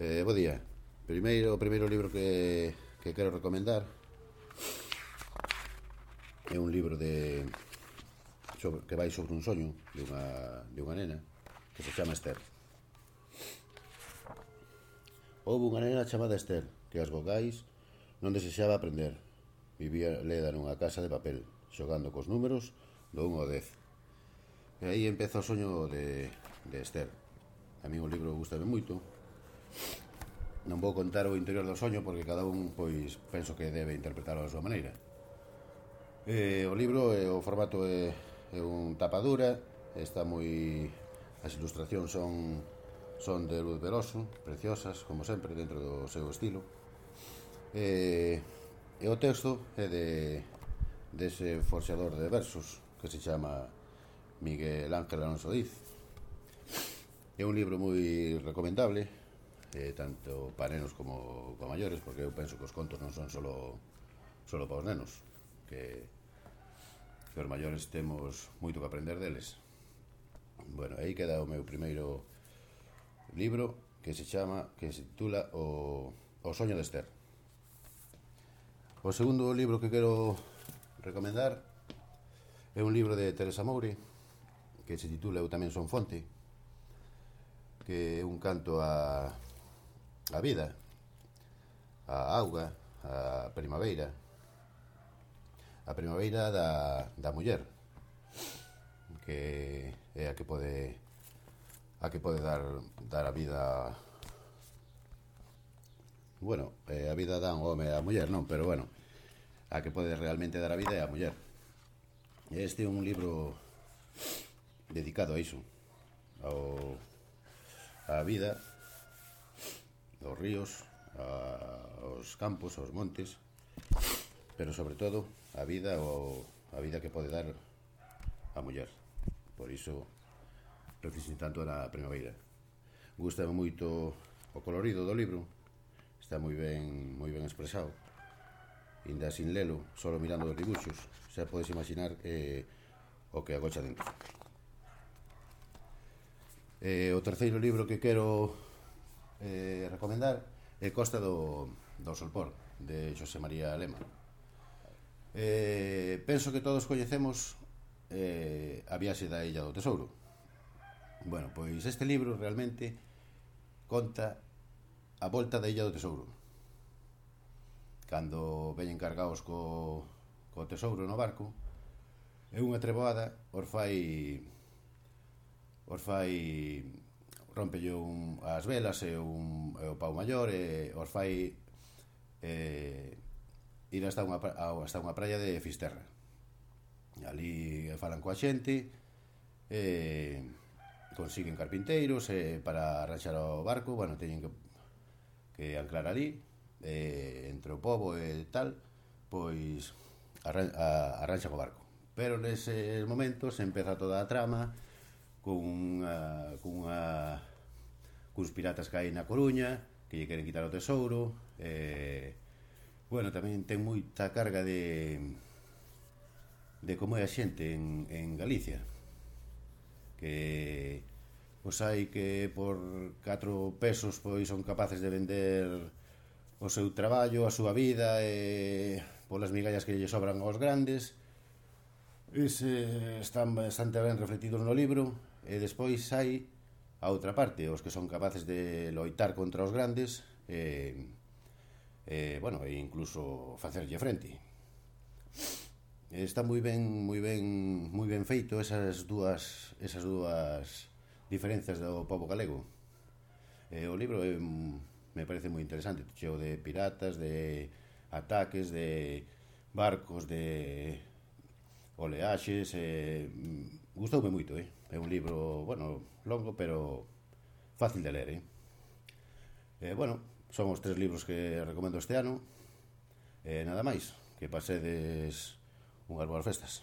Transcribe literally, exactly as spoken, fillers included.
Eh, bo día. Primeiro, o primeiro libro que, que quero recomendar é un libro de sobre, que vai sobre un soño de unha, de unha nena que se chama Esther. Houve unha nena chamada Esther que as vogais non desexaba aprender. Vivía leda nunha casa de papel, xogando cos números do un ao dez. E aí empeza o soño de, de Esther. A mí o libro gustame moito. Non vou contar o interior do soño porque cada un, pois, penso que debe interpretarlo a súa maneira. E, o libro, e, o formato é, é un tapadura, está moi... As ilustracións son son de Luz Veloso, preciosas, como sempre, dentro do seu estilo. E, e o texto é de dese forxador de versos que se chama Miguel Ángel Alonso Diz. É un libro moi recomendable, eh, tanto para nenos como para maiores, porque eu penso que os contos non son solo solo para os nenos, que, que os maiores temos moito que aprender deles. Bueno, aí queda o meu primeiro libro, que se chama, que se titula O, o soño de Esther. O segundo libro que quero recomendar é un libro de Teresa Moure que se titula Eu tamén son fonte, que é un canto a a vida, a auga, a primavera, a primavera da, da muller, que é a que pode a que pode dar dar a vida, bueno, a vida dá un home a muller, non, pero bueno, a que pode realmente dar a vida é a muller. Este é un libro dedicado a iso, ao a vida, aos ríos, aos campos, aos montes, pero sobre todo a vida ou a vida que pode dar a muller. Por iso reflexiono tanto na primavera. Gústame moito o colorido do libro, está moi ben moi ben expresado. Inda sin lelo, solo mirando os dibuxos, xa podes imaginar eh, o que agocha dentro. Eh, o terceiro libro que quero eh, recomendar é Costa do, do Solpor, de Xosé María Lema. Eh, penso que todos coñecemos eh, a viaxe da Illa do Tesouro. Bueno, pois este libro realmente conta a volta da Illa do Tesouro. Cando veñen cargados co, co tesouro no barco, é unha treboada, os fai os fai rompelle un, as velas e, un, e o pau maior e os fai eh, ir hasta unha, hasta unha praia de Fisterra. Ali falan coa xente e consiguen carpinteiros e para arranxar o barco, bueno, teñen que, que anclar ali e, entre o pobo e tal, pois arran, a, arranxan o barco, pero neses momentos empeza toda a trama cunha, cunha cuns piratas que hai na Coruña que lle queren quitar o tesouro e, bueno, tamén ten moita carga de de como é a xente en, en Galicia, que pois hai que por catro pesos pois son capaces de vender o seu traballo, a súa vida e polas migallas que lle sobran aos grandes. Ese están bastante ben reflectidos no libro. E despois hai a outra parte, os que son capaces de loitar contra os grandes e, e bueno, e incluso facerlle frente. Está moi ben, moi ben, moi ben feito esas dúas esas dúas diferenzas do pobo galego. E o libro é, me parece moi interesante, cheo de piratas, de ataques, de barcos, de oleaxes, e gustoume moito, eh? É un libro, bueno, longo, pero fácil de ler, eh? E, bueno, son os tres libros que recomendo este ano. E nada máis, que pasedes unhas boas festas.